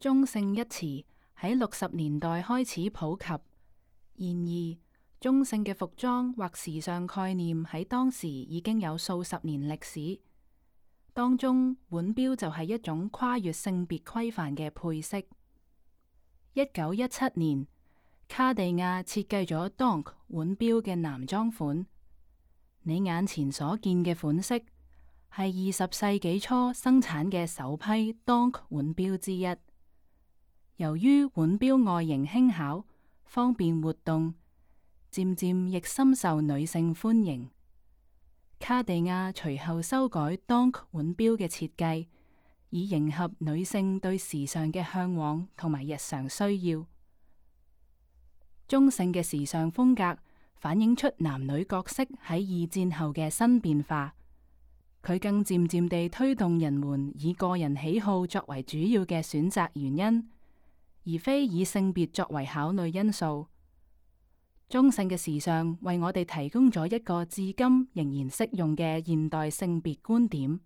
中性一詞喺60年代開始普及，然而中性嘅服裝或時尚概念喺當時已經有數十年歷史。當中腕錶就係一種跨越性別規範嘅配飾。1917年，卡地亞設計咗 Donk 腕錶嘅男裝款。你眼前所見嘅款式係20世紀初生產嘅首批 Donk 腕錶之一。由於腕錶外形輕巧，方便活動，漸漸亦深受女性歡迎。卡地亞隨後修改 Donk 腕錶嘅設計，以迎合女性對時尚嘅向往同埋日常需要。中性嘅時尚風格反映出男女角色喺二戰後嘅新變化，佢更漸漸地推動人們以個人喜好作為主要嘅選擇原因，而非以性別作為考慮因素。中性嘅時尚為我哋提供咗一個至今仍然適用嘅現代性別觀點。